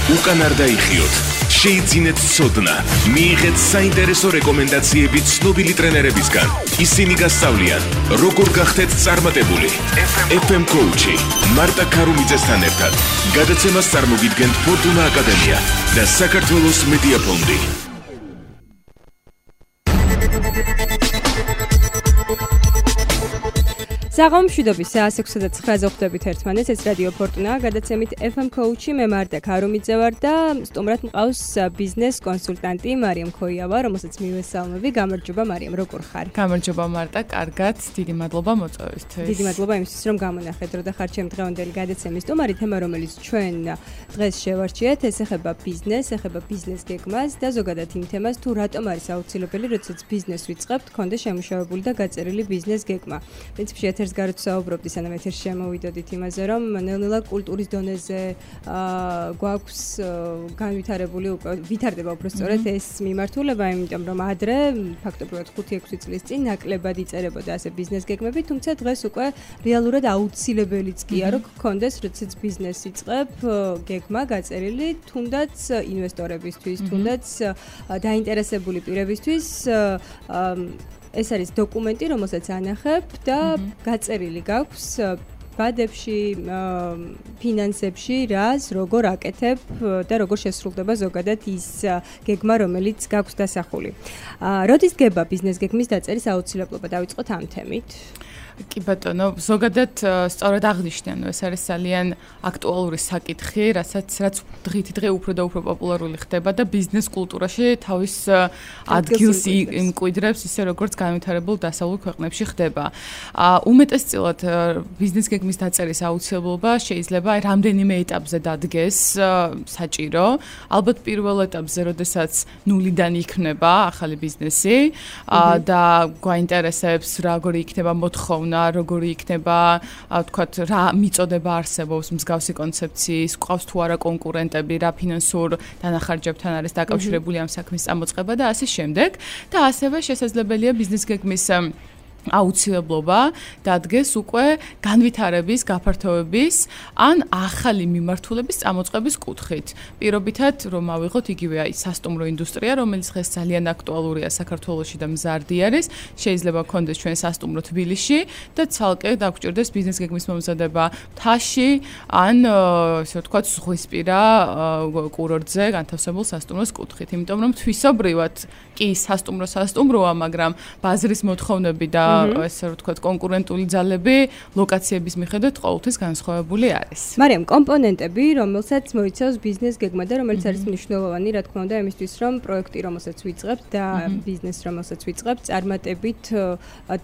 უკან არ დაიხიოთ, შეიძინეთ ცოდნა, მიიღეთ საინტერესო რეკომენდაციები ცნობილი ტრენერებისგან. ისინი გასწავლიან, როგორ გახდეთ წარმატებული. FM Coach-ი მარტა ქარუმიძესთან ერთად. გადაცემას წარმოგიდგენთ ფორტუნა აკადემია და საქართველოს მედია ფონდი. საღამომშვიდობის საას 6:09-ზე ხვდებით ერთმანეთს, ეს რადიო ფორტუნა, გადაცემით FM Coach-ი, მე მარტა ქარუმიძე ვარ და სტუმრად მყავს ბიზნეს კონსულტანტი მარიამ ქოიავა, რომელსაც მივესალმები. გამარჯობა მარიამ, როგორ ხარ? გამარჯობა მარტა, კარგად, დიდი მადლობა მოწვევისთვის. დიდი მადლობა იმისთვის, რომ გამონახეთ და ხარ ჩემი დღევანდელი გადაცემის სტუმარი. თემა, რომელიც ჩვენ დღეს შევარჩიეთ, ეს ეხება ბიზნესს, ეხება ბიზნეს გეგმას და ზოგადად იმ თემას, თუ რატომ არის აუცილებელი, როდესაც ბიზნესს ვიწყებთ, გქონდეს შემუშავებული და გაწერილი ბიზნეს გეგმა. პრინციპში გარეთ საუბრობდი, სანამ ეთერში შემოვიდოდით იმაზე, რომ ნელ-ნელა კულტურის დონეზე გვაქვს განვითარებული, ვითარდება უბრალოდ ეს მიმართულება, იმიტომ რომ ადრე ფაქტობრივად 5-6 წლის წინ ნაკლებად იწერებოდა ასე ბიზნეს გეგმები, თუმცა დღეს უკვე რეალურად აუცილებელიც კი არა, რომ გქონდეს, როდესაც ბიზნესს იწყებ, გეგმა გაწერილი, თუნდაც ინვესტორებისთვის, თუნდაც დაინტერესებული პირებისთვის ეს არის დოკუმენტი, რომელსაც ანახებ და გაწერილი გაქვს ბადებში, ფინანსებში, რას, როგორ აკეთებ და როგორ შესრულდება ზოგადად ის გეგმა, რომელიც გაქვს დასახული. როდის დგება ბიზნეს გეგმის დაწერის აუცილებლობა? დავიწყოთ ამ თემით. კი ბატონო, ზოგადად სწორად აღნიშნეთ, ეს არის ძალიან აქტუალური საკითხი, რაც დღითიდღე უფრო და უფრო პოპულარული ხდება და ბიზნეს კულტურაში თავის ადგილს იმკვიდრებს, ისე როგორც განვითარებულ დასავლურ ქვეყნებში ხდება. უმეტესწილად ბიზნეს გეგმის დაწერის აუცილებლობა შეიძლება რამდენიმე ეტაპზე დადგეს საჭირო. ალბათ პირველ ეტაპზე, როდესაც ნულიდან იქნება ახალი ბიზნესი და გვაინტერესებს როგორი იქნება მოთხოვნა, როგორი იქნება, თქვათ, რა მიწოდება არსებობს მსგავსი კონცეფციის, ყავს თუ არა კონკურენტები, რა ფინანსურ დანახარჯებთან არის დაკავშირებული ამ საქმის წამოწყება და ასე შემდეგ. და ასევე შესაძლებელია ბიზნეს გეგმის აუცილებლობა დადგეს უკვე განვითარების, გაფართოების ან ახალი მიმართულების წამოწყების კუთხით. პირობითად, რომ ავიღოთ იგივე სასტუმრო ინდუსტრია, რომელიც დღეს ძალიან აქტუალურია საქართველოში და მზარდი არის, შეიძლება გქონდეს ჩვენ სასტუმრო თბილისში და ცალკე დაგჭირდეს ბიზნეს გეგმის მომზადება მთაში ან ესე ვთქვათ, ზღვისპირა კურორტზე განთავსებულ სასტუმროს კუთხით. იმიტომ რომ თვისობრივად კი სასტუმროა, მაგრამ ბაზრის მოთხოვნები და ესე ვთქვათ, კონკურენტული ძალები ლოკაციების მიხედვით ყოველთვის განსხვავებული არის. მარიამ, კომპონენტები, რომელსაც მოიცავს ბიზნეს გეგმა და რომელიც არის მნიშვნელოვანი, რა თქმა უნდა, იმისთვის, რომ პროექტი, რომელსაც ვიწყებთ და ბიზნესს, რომელსაც ვიწყებთ, წარმატებით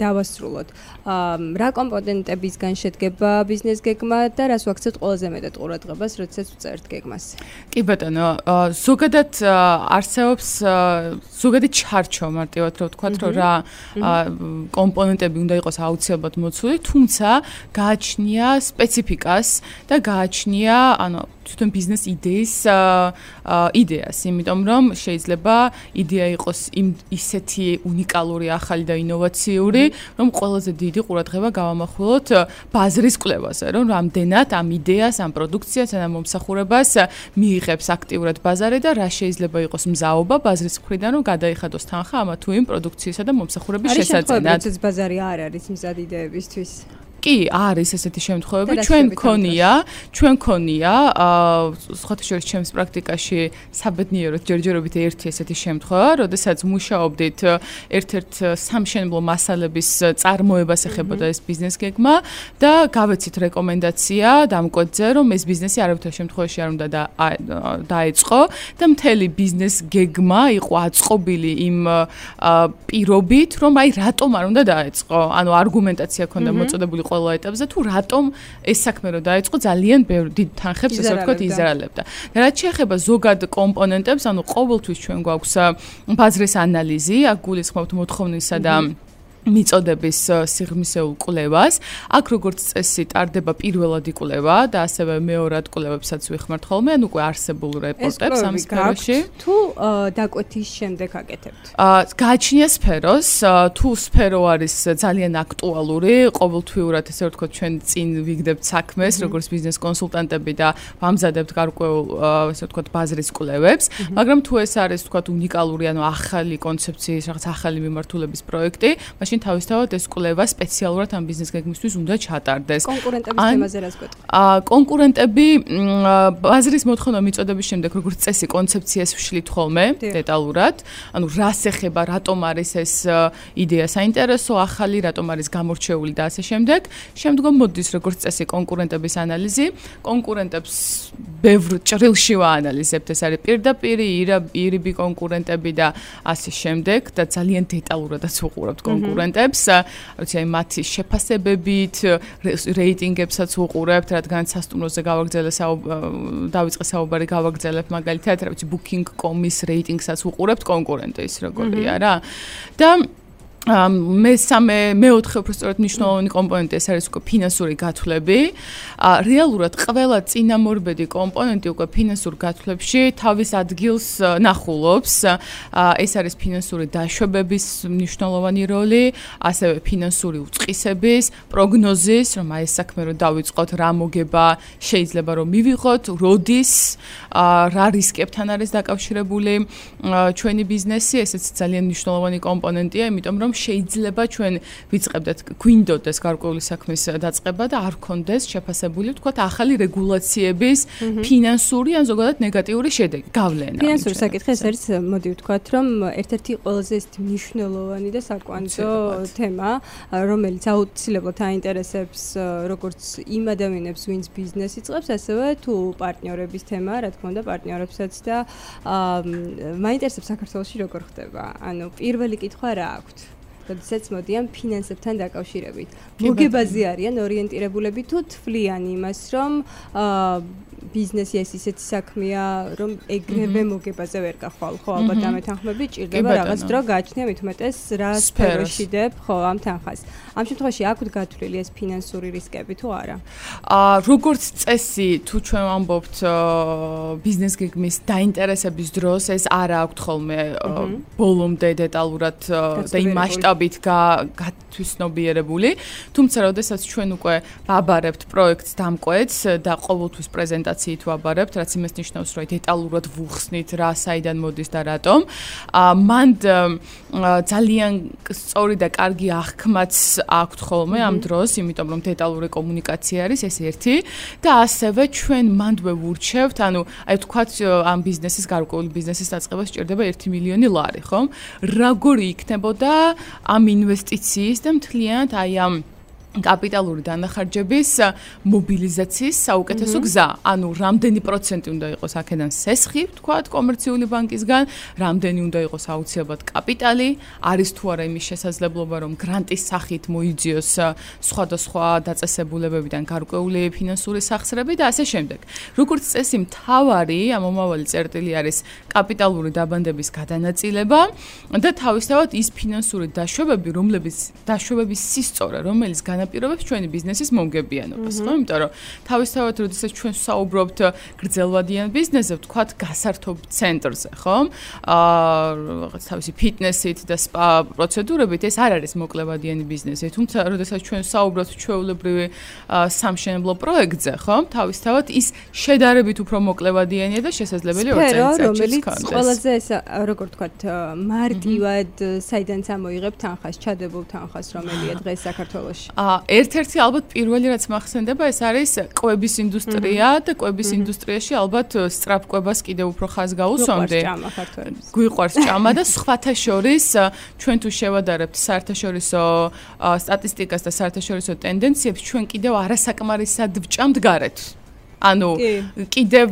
დავასრულოთ. რა კომპონენტებისგან შედგება ბიზნეს გეგმა და რას ვაქცევთ ყველაზე მეტად ყურადღებას, როდესაც ვწერთ გეგმას? კი ბატონო, ზოგადად არსებობს ზოგადი ჩარჩო, მარტივად რომ ვთქვათ, რომ რა კომპონენტები უნდა იყოს აუცილებლად მოცული, თუმცა გააჩნია სპეციფიკას და გააჩნია, თვითონ ბიზნეს იდეას, იმიტომ რომ შეიძლება იდეა იყოს ისეთი უნიკალური, ახალი და ინოვაციური, რომ ყველაზე დიდი ყურადღება გავამახვილოთ ბაზრის კვლევაზე, რომ რამდენად ამ იდეას, ამ პროდუქციას, ამ მომსახურებას მიიღებს აქტიურად ბაზარი და რა შეიძლება იყოს მზაობა ბაზრის მხრიდან, რომ გადაიხადოს თანხა ამა თუ იმ პროდუქციისა და მომსახურების შესაძენად. ეს ბაზარი არ არის მზად იდეებისთვის. კი, არის ესეთი შემთხვევები, ჩვენ მქონია, სხვათა შორის ჩემს პრაქტიკაში საბედნიეროდ ჯერჯერობით ერთი ესეთი შემთხვევა, როდესაც მუშაობდით ერთ-ერთ სამშენებლო მასალების წარმოებას ეხებოდა ეს ბიზნეს გეგმა და გავეცით რეკომენდაცია დამკვეთზე, რომ ეს ბიზნესი არავითარ შემთხვევაში არ უნდა დაეწყო და მთელი ბიზნეს გეგმა იყო აწყობილი იმ პირობით, რომ აი რატომ არ უნდა დაეწყო. ანუ არგუმენტაცია ჰქონდა მოწოდებული ყველა ეტაპზე, თუ რატომ ეს საქმე რო დაეწყო, ძალიან ბევრ დიდ თანხებს, ასე ვთქვათ, იზრალებდა. და რაც შეეხება ზოგად კომპონენტებს, ანუ ყოველთვის ჩვენ გვაქვს ბაზრის ანალიზი, აქ გულისხმობთ მოთხოვნისა და მიწოდების სიღრმისეულ კვლევას. აქ როგორც წესი ტარდება პირველადი კვლევა და ასევე მეორად კვლევებსაც ვიხმართ ხოლმე, ანუ უკვე არსებულ რეპორტებს ამ სფეროში. თუ დაკვეთის შემდეგ აკეთებთ? გააჩნია სფეროს, თუ სფერო არის ძალიან აქტუალური, ყოველთვიურად ესე ვთქვათ, ჩვენ წინ ვიგდებთ საქმეს, როგორც ბიზნეს კონსულტანტები და ვამზადებთ გარკვეულ ესე ვთქვათ ბაზრის კვლევებს, მაგრამ თუ ეს არის ვთქვათ უნიკალური, ანუ ახალი კონცეფციის, რაღაც ახალი მიმართულების პროექტი, მაშინ თავისთავად ეს კვლევა სპეციალურად ამ ბიზნეს გეგმისთვის უნდა ჩატარდეს. კონკურენტების თემაზე რას გვეტყვით? კონკურენტები ბაზრის მოთხოვნა მიწოდების შემდეგ როგორც წესი კონცეფციას ვშლით ხოლმე დეტალურად, ანუ რას ეხება, რატომ არის ეს იდეა საინტერესო, ახალი, რატომ არის გამორჩეული და ასე შემდეგ. შემდგომ მოდის როგორც წესი კონკურენტების ანალიზი. კონკურენტებს ბევრ ჭრილში ვაანალიზებთ, ეს არის პირდაპირი, ირიბი კონკურენტები და ასე შემდეგ და ძალიან დეტალურადაც ვუყურებთ კონკურენტებს, როცა აი მათი შეფასებებით, რეიტინგებსაც ვუყურებთ, რადგან სასტუმროზე დავიწყე საუბარი გავაგრძელებ მაგალითად, რა ვიცი booking.com-ის რეიტინგსაც ვუყურებთ კონკურენტის როგორია რა. და მეოთხე უბრალოდ მნიშვნელოვანი კომპონენტი ეს არის უკვე ფინანსური გათვლები. რეალურად ყველა წინამორბედი კომპონენტი უკვე ფინანსურ გათვლებში თავის ადგილს ნახულობს. ეს არის ფინანსური დაშვებების მნიშვნელოვანი როლი, ასევე ფინანსური უწყისების, პროგნოზის, რომ აი ეს საქმე რომ დავიწყოთ, რა მოგება შეიძლება რომ მივიღოთ, როდის, რა რისკებთან არის დაკავშირებული ჩვენი ბიზნესი, ესეც ძალიან მნიშვნელოვანი კომპონენტია, იმიტომ რომ შეიძლება ჩვენ ვიწყებდეთ გვინდოდეს გარკვეული საქმის დაწყება და არ გქონდეს შეფასებული ვთქვათ ახალი რეგულაციების ფინანსური ან ზოგადად ნეგატიური შედეგი გავლენა. ფინანსური საკითხი ეს არის მოდი ვთქვათ რომ ერთ-ერთი ყველაზე მნიშვნელოვანი და საკვანძო თემა, რომელიც აუცილებლად აინტერესებს როგორც იმ ადამიანებს, ვინც ბიზნესი იწყებს, ასევე თუ პარტნიორების თემა, რა თქმა უნდა, პარტნიორებსაც და მაინტერესებს საქართველოში როგორ ხდება. ანუ პირველი კითხვა რა აქვთ? როდესაც მოდიან ფინანსებთან დაკავშირებით. მოგებაზე არიან ორიენტირებულები თუ თვლიან იმას, რომ ბიზნესი ეს ისეთი საქმეა, რომ ეგრევე მოგებაზე ვერ გახვალ, ხო, ალბათ ამეთანხმები ჭირდება რაღაც დრო გააჩნია მით უმეტეს რა სფეროში დებ, ხო, ამ თანხას. ამ შემთხვევაში აქვთ გათვლილი ეს ფინანსური რისკები თუ არა? როგორც წესი, თუ ჩვენ ვამბობთ ბიზნეს გეგმის დაინტერესების დროს, ეს არ აქვთ ხოლმე ბოლომდე დეტალურად და იმ მასშტაბით გათვისნობიერებული, თუმცა როდესაც ჩვენ უკვე ვაბარებთ პროექტს დამკვეთს და ყოველთვის პრეზენტაციით ვაბარებთ, რაც იმას ნიშნავს, რომ დეტალურად ვუხსნით რა საიდან მოდის და რატომ, მან ძალიან სწორი და კარგი აღქმაც აქვთ ხოლმე ამ დროს, იმიტომ რომ დეტალური კომუნიკაცია არის ეს ერთი და ასევე ჩვენ მანდვე ვურჩევთ, ანუ აი თქვათ ამ ბიზნესის გარკვეული ბიზნესის დაწყებას სჭირდება 1 მილიონი ლარი, ხო? როგორი იქნებოდა ამ ინვესტიციის და მთლიანად აი ამ კაპიტალური დანახარჯების მობილიზაციის საუკეთესო გზა. ანუ რამდენი პროცენტი უნდა იყოს აქედან სესხი, ვთქვათ, კომერციული ბანკისგან, რამდენი უნდა იყოს აუცილებლად კაპიტალი, არის თუ არა იმის შესაძლებლობა, რომ გრანტის სახით მოიძიოს სხვადასხვა დაწესებულებებიდან გარკვეული ფინანსური სახსრები და ასე შემდეგ. როგორც წესი, მთავარი ამომავალი წერტილი არის კაპიტალური დაბანდების გადანაწილება და თავისთავად ის ფინანსური დაშვებები, დაშვებების სისწორე, რომელიც განაპირობებს ჩვენი ბიზნესის მომგებიანობას, ხო? იმიტომ რომ თავისთავად როდესაც ჩვენ საუბრობთ გრძელვადიან ბიზნესზე, ვთქვათ, გასართობ ცენტრზე, ხო? რაღაც თავისი ფიტნესით და სპა პროცედურებით ეს არ არის მოკლევადიანი ბიზნესი, თუმცა როდესაც ჩვენ საუბრობთ ჩვეულებრივი სამშენებლო პროექტზე, ხო? თავისთავად ის შედარებით უფრო მოკლევადიანია და შესაძლებელი 2 წელიწადში რომელიც ყველაზე ეს როგორ ვთქვათ, მარტივად საიდანაც ამოიღებ თანხას, ჩადებულ თანხას, რომელია დღეს საქართველოში. ერთ-ერთი ალბათ პირველი რაც მახსენდება ეს არის კვების ინდუსტრია და კვების ინდუსტრიაში ალბათ სწრაფ კვებას კიდევ უფრო ხაზს გაუსვამდი. გვიყვარს ჭამა და სხვათა შორის ჩვენ თუ შევადარებთ საერთაშორისო სტატისტიკას და საერთაშორისო ტენდენციებს ჩვენ კიდევ არასაკმარისად ვჭამთ გარეთ. ანუ კიდევ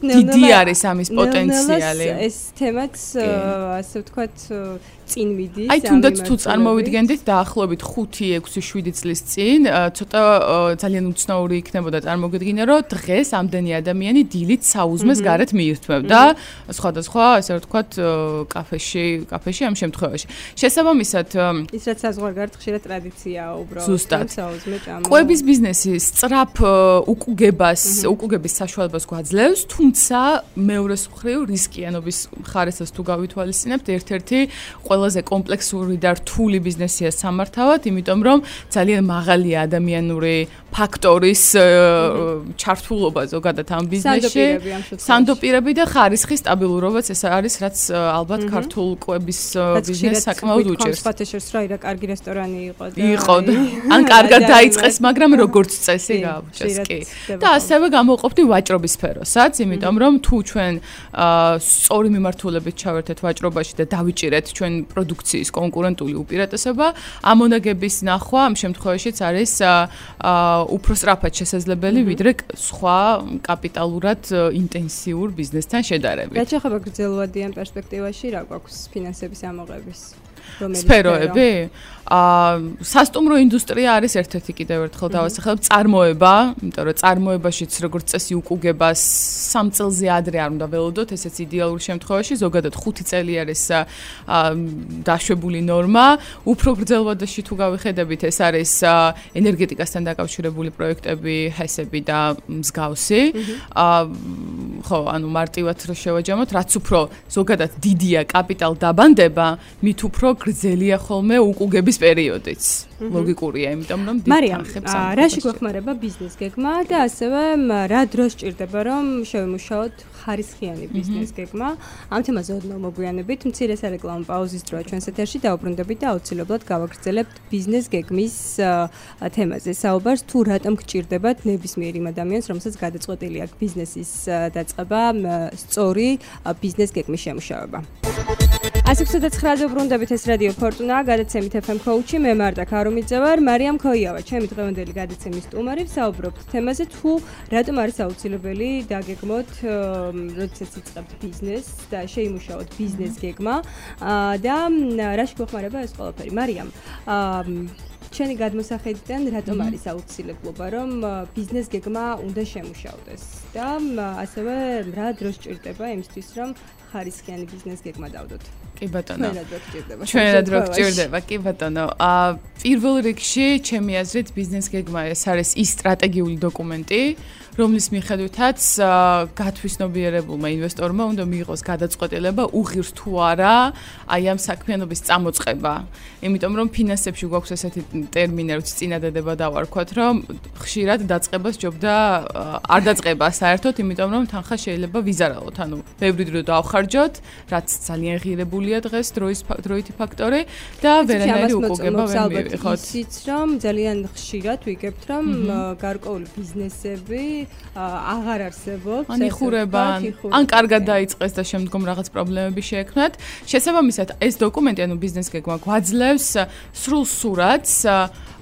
დიდი არის ამის პოტენციალი. ეს თემაც ასე ვთქვათ წინ მიდის. აი თუნდაც თუ წარმოვიდგენდით დაახლოებით 5-6-7 წლის წინ ცოტა ძალიან უცნაური იქნებოდა წარმოგიდგინე რომ დღეს ამდენი ადამიანი დილით საუზმეს გარეთ მიირთმევდა სხვადასხვა ასე ვთქვათ კაფეში ამ შემთხვევაში. შესაბამისად ის რაც საზღვარგარეთ ხშირად ტრადიციაა უბრალოდ საუზმე ჭამა. კვების ბიზნესი სწრაფ უკუგების საშუალებას გვაძლევს, თუმცა მეორეს მხრივ რისკიანობის ხარისას თუ გავითვალისწინებთ, ერთ-ერთი ყველაზე კომპლექსური და რთული ბიზნესია სამართავად, იმიტომ რომ ძალიან მაღალია ადამიანური ფაქტორის ჩართულობა ზოგადად ამ ბიზნესში. სანდოპირები და ხარისხის სტაბილურობაც ეს არის, რაც ალბათ ქართულ კვების ბიზნესს საკმაოდ უჭერს. რა ირა კარგი რესტორანი იყო და ან კარგად დაიწყეს, მაგრამ როგორც წესი გააჩეს კი. და ასევე გამოყოფდი ვაჭრობის სფეროსაც, იმიტომ რომ თუ ჩვენ სწორი მიმართულებით ჩავერთეთ ვაჭრობაში და დავიჭირეთ ჩვენ პროდუქციის კონკურენტული უპირატესობა, ამონაგების ნახვა ამ შემთხვევაშიც არის უფრო სწრაფად შესაძლებელი ვიდრე სხვა კაპიტალურად ინტენსიურ ბიზნესთან შედარებით. რაც ახლა გრძელვადიან პერსპექტივაში რა გვაქვს ფინანსების ამოღების სფეროები? სასტუმრო ინდუსტრია არის ერთ-ერთი კიდევ ერთხელ დავასახელებ წარმოება, იმიტომ რომ წარმოებაშიც როგორც წესი უკუგებას 3 წელზე ადრე არ უნდა ველოდოთ, ესეც იდეალურ შემთხვევაში, ზოგადად 5 წელი არის დაშვებული ნორმა. უფრო გრძელვადაში თუ გავიხედებით, ეს არის ენერგეტიკასთან დაკავშირებული პროექტები, ჰესები და მსგავსი. ხო, ანუ მარტივად რო შევაჯამოთ, რაც უფრო ზოგადად დიდია კაპიტალ დაბანდება, მით უფრო გრძელია ხოლმე უკუგების პერიოდიც. ლოგიკურია, იმიტომ რომ დითხახებს ამ. რაში გვეხმარება ბიზნეს გეგმა და ასევე რა დროს ჭირდება რომ შევიმუშაოთ ხარისხიანი ბიზნეს გეგმა? ამ თემაზე ოდნავ მოგვიანებით, მცირე სარეკლამო პაუზის დროა ჩვენს ეთერში და უბრუნდებით და აუცილებლად გავაგრძელებთ ბიზნეს გეგმის თემაზე. საუბარს თუ რატომ გჭირდებათ ნებისმიერ იმ ადამიანს, რომელსაც გადაწყვეტილი აქვს ბიზნესის დაწყება, სწორი ბიზნეს გეგმის შემუშავება. 109-ზე უბრუნდებით, ეს რადიო ფორტუნა, გადაცემით FM Coach-ი, მე მარტა ქარუმიძე ვარ, მარიამ ქოიავა, ჩემი დღევანდელი გადაცემის სტუმარი, ვსაუბრობთ თემაზე, თუ რატომ არის აუცილებელი დაგეგმოთ, როდესაც იწყებთ ბიზნესს და შეიმუშაოთ ბიზნეს გეგმა და რაში გვეხმარება ეს ყველაფერი. მარიამ, ჩვენი გადმოსახედიდან რატომ არის აუცილებლობა, რომ ბიზნეს გეგმა უნდა შემუშავდეს და ასევე რა დროს ჭირდება იმისთვის, რომ ხარისხიანი ბიზნეს გეგმა დავდოთ? კი ბატონო. ჩვენად რო გჭირდება, კი ბატონო. პირველ რიგში, ჩემი აზრით, ბიზნეს გეგმა ეს არის ის სტრატეგიული დოკუმენტი, რომლის მიხედვითაც გათვისნობიერებულმა ინვესტორმა უნდა მიიღოს გადაწყვეტილება უღირს თუ არა აი ამ საქმიანობის წამოწყება. იმიტომ რომ ფინანსებში გვაქვს ესეთი ტერმინი, რაც წინადადება დავარქვათ, რომ ხშირად დაწყებას ჯობდა არ დაწყება საერთოდ, იმიტომ რომ თანხა შეიძლება ვიზარალოთ, ანუ ბევრი დრო დავხარჯოთ, რაც ძალიან ღირებულია დღეს დროითი ფაქტორი და ვერანაირი უკუგება ვერ მივიღოთ. ისიც რომ ძალიან ხშირად ვიგებთ, რომ გარკვეული ბიზნესები აღარ არსებობს, ან იხურება, ან კარგად დაიწყეს და შემდგომ რაღაც პრობლემები შეექმნათ. შესაბამისად, ეს დოკუმენტი, ანუ ბიზნეს გეგმა გვაძლევს სრულ სურათს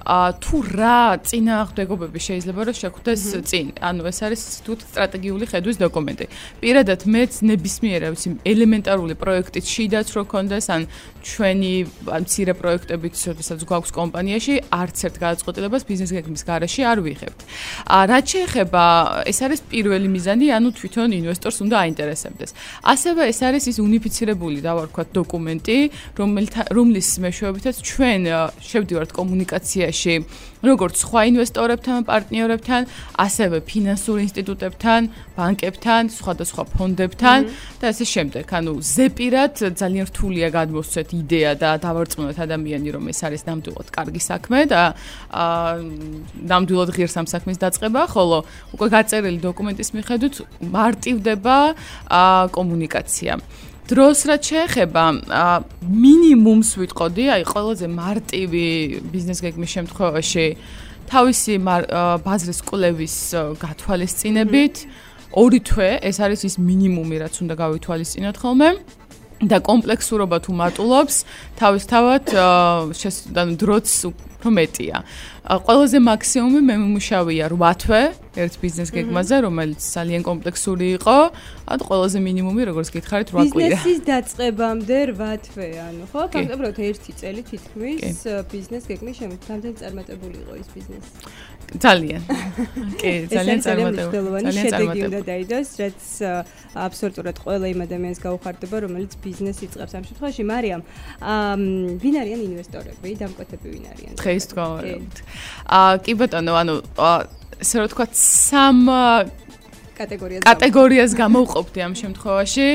თუ რა წინააღმდეგობები შეიძლება რომ შეხვდეს წინ. ანუ ეს არის თუთ სტრატეგიული ხედვის დოკუმენტი. პირადად მეც ნებისმიერ ელემენტარული პროექტის შიდაც რო კონდეს, ან ჩვენი მცირე პროექტებით, როდესაც გვაქვს კომპანიაში, არც ერთ გადაწყვეტილებას ბიზნეს გეგმის გარეშე არ ვიღებთ. რაც შეეხება, ეს არის პირველი მიზანი, ანუ თვითონ ინვესტორს უნდა აინტერესებდეს. ასევე ეს არის ის უნიფიცირებული, დავარქვათ, დოკუმენტი, რომლის მეშვეობითაც ჩვენ შევდივართ კომუნიკაციაში როგორც სხვა ინვესტორებთან, პარტნიორებთან, ასევე ფინანსურ ინსტიტუტებთან, ბანკებთან, სხვადასხვა ფონდებთან და ასე შემდეგ. ანუ ზეპირად ძალიან რთულია გადმოსცეთ იდეა და დავარწმუნოთ ადამიანი, რომ ეს არის ნამდვილად კარგი საქმე და ნამდვილად ღირს ამ საქმის დაწყება, ხოლო უკვე გაწერილი დოკუმენტის მიხედვით მარტივდება კომუნიკაცია. დროს რაც შეეხება მინიმუმს ვიტყოდი, აი ყველაზე მარტივი ბიზნეს გეგმის შემთხვევაში თავისი ბაზრის კვლევის გათვალისწინებით 2 თვე, ეს არის ის მინიმუმი, რაც უნდა გავითვალისწინოთ ხოლმე. და კომპლექსურობა თუ მატულობს, თავისთავად დროც უფრო მეტია. ყველაზე მაქსიმუმი მე მიმუშავია 8 თვე ერთ ბიზნეს გეგმაზე, რომელიც ძალიან კომპლექსური იყო. ანუ ყველაზე მინიმუმი, როგორც გითხარით, 8 კვირა. ბიზნესის დაწყებამდე 8 თვე, ანუ ხო, ფაქტობრივად 1 წელი თითქმის ბიზნეს გეგმის შემოქმედებით წარმატებული იყო ის ბიზნესი. ძალიან. კი, ძალიან წარმატებული. ძალიან შედეგი უნდა დაიდოს, რაც აბსოლუტურად ყველა იმ ადამიანს გაუხარდება, რომელიც ბიზნესს იწყებს ამ შემთხვევაში. მარიამ, ვინ არიან ინვესტორები, დამკვეთები ვინ არიან? დღეს თქვით. კი ბატონო, ანუ ესე რომ თქვა 3 კატეგორიას გამოვყოფდი ამ შემთხვევაში.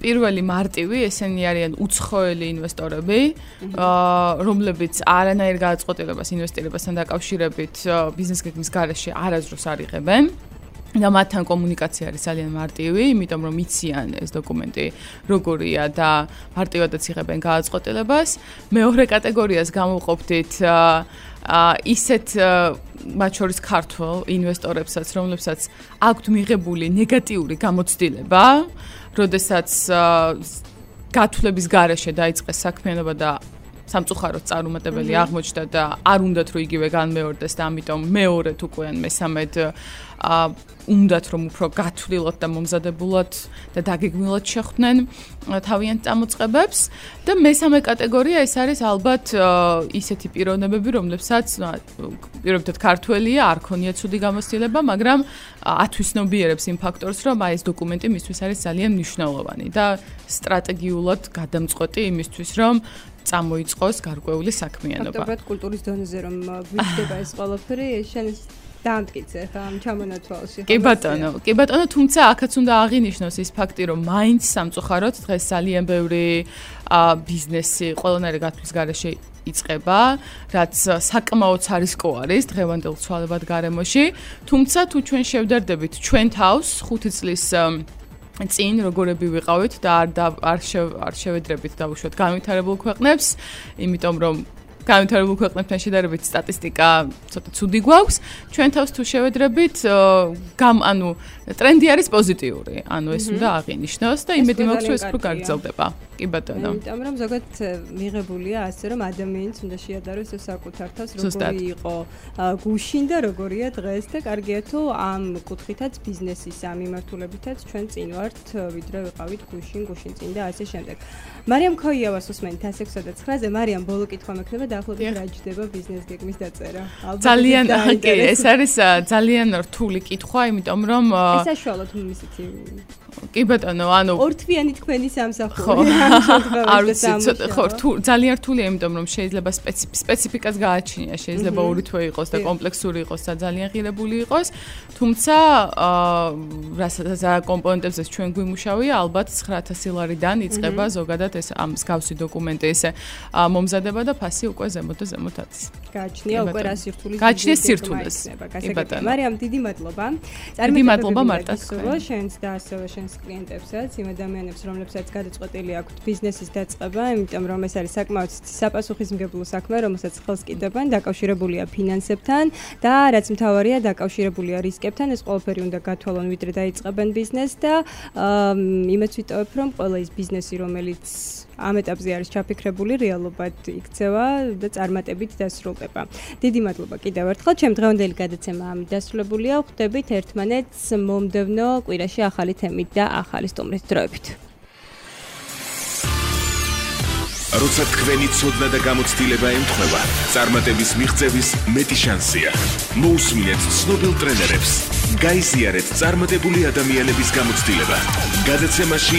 პირველი მარტივი, ესენი არიან უცხოელი ინვესტორები, რომლებიც არანაირ გადაწყვეტილებას ინვესტირებასთან დაკავშირებით ბიზნეს გეგმის გარეშე არასდროს არ იღებენ. და მათთან კომუნიკაცია არის ძალიან მარტივი, იმიტომ რომ იციან ეს დოკუმენტი როგორია და მარტივადაც იღებენ გადაწყვეტილებას. მეორე კატეგორიას გამოვყოფდით ისეთ მათ შორის ქართველ ინვესტორებსაც, რომლებსაც აქვთ მიღებული ნეგატიური გამოცდილება, როდესაც გათვლების გარეშე დაიწყეს საქმიანობა და სამწუხაროდ წარუმატებელი აღმოჩნდა და არ უნდათ რომ იგივე განმეორდეს და ამიტომ მეორედ უკვე ან მესამედ უნდათ რომ უფრო გათვლილად და მომზადებულად და დაგეგმილად შეხვდნენ თავიანთ წამოწყებებს და მესამე კატეგორია ეს არის ალბათ ისეთი პიროვნებები, რომლებსაც პირობითად ქართველია, არ ქონია ცუდი გამოცდილება, მაგრამ ათვისნობიერებს იმ ფაქტორს, რომ აი ეს დოკუმენტი მისთვის არის ძალიან მნიშვნელოვანი და სტრატეგიულად გადამწყვეტი იმისთვის, რომ წამოიწყოს გარკვეული საქმიანობა. ფაქტობრივად კულტურის დონეზე რომ ვიწყდება ეს ყველაფერი, შენ დაამტკიცე ხა ამ ჩამონათვალში. კი ბატონო, თუმცა აქაც უნდა აღინიშნოს ის ფაქტი, რომ მაინც სამწუხაროდ დღეს ძალიან ბევრი ბიზნესი ყველანაირი გათვლის გარეშე იწყება, რაც საკმაოდ არისკო არის დღევანდელ ცვალებად გარემოში, თუმცა თუ ჩვენ შევდარდებით ჩვენ თავს 5 წლის წინ როგორები ვიყავით და არ შევედრებით დაუშვათ განვითარებულ ქვეყნებს, იმიტომ რომ განვითარებულ ქვეყნებთან შედარებით სტატისტიკა ცოტა ცუდი გვაქვს. ჩვენ თავს თუ შევედრებით, ანუ ტრენდი არის პოზიტიური. ანუ ეს უნდა აღინიშნოს და იმედი მაქვს, რომ ეს უფრო გაგრძელდება. კი ბატონო. იმიტომ რომ ზოგადად მიღებულია ასე, რომ ადამიანს უნდა შეადაროს ეს საკუთარ თავს, როგორი იყო გუშინ და როგორია დღეს და კარგია თუ ამ კუთხითაც ბიზნესის ამ მიმართულებითაც ჩვენ წინ ვართ, ვიდრე ვიყავით გუშინ წინ და ასე შემდეგ. მარიამ ქოიავას უსმენთ 169-ზე. მარიამ, ბოლო კითხვა მექნება დაახლოებით რა ჯდება ბიზნეს გეგმის დაწერა. ძალიან კი, ეს არის ძალიან რთული კითხვა, იმიტომ რომ ეს საშუალოდ ისეთი კი ბატონო, ანუ ორთვიანი თქვენი სამსახური. არ ვიცი, ხო, ძალიან რთულია, იმიტომ რომ შეიძლება სპეციფიკას გააჩნია, შეიძლება 2 თვე იყოს და კომპლექსური იყოს და ძალიან ღირებული იყოს, თუმცა რასაც კომპონენტებზეც ჩვენ გვიმუშავია, ალბათ 9000 ლარიდან იწყება ზოგადად ეს ამ მსგავსი დოკუმენტი ესე მომზადება და ფასი უკვე ზემოთ და ზემოთაც. გააჩნია უკვე რა სირთულეს. გააჩნია სირთულეს. კი ბატონო. მარიამ, დიდი მადლობა. დიდი მადლობა მარტას. შენს და ასევე შენს კლიენტებსაც, იმ ადამიანებს, რომლებსაც გადაწყვეტილი აქვთ ბიზნესის დაწყება, იმიტომ რომ ეს არის საკმაოდ საპასუხისმგებლო საქმე, რომელსაც ხელს კიდებენ, დაკავშირებულია ფინანსებთან და რაც მთავარია, დაკავშირებულია რისკებთან, ეს ყველაფერი უნდა გათვალონ, ვიდრე დაიწყებენ ბიზნესს და იმეც ვიტოვებ, რომ ყველა ის ბიზნესი, რომელიც ამ ეტაპზე არის ჩაფიქრებული, რეალობად იქცევა და წარმატებით დასრულდება. დიდი მადლობა კიდევ ერთხელ. ჩემ დღევანდელი გადაცემა ამით დასრულებულია. ხვდებით ერთმანეთს მომდევნო კვირაში ახალი თემით და ახალი სტუმრის დროებით. როცა თქვენი ცოდნა და გამოცდილება ემთხვევა, წარმატების მიღწევის მეტი შანსია. მოусმინეთ ცნობილ ტრენერებს. გაიზიარეთ წარმატებული ადამიანების გამოცდილება. გადაცემაში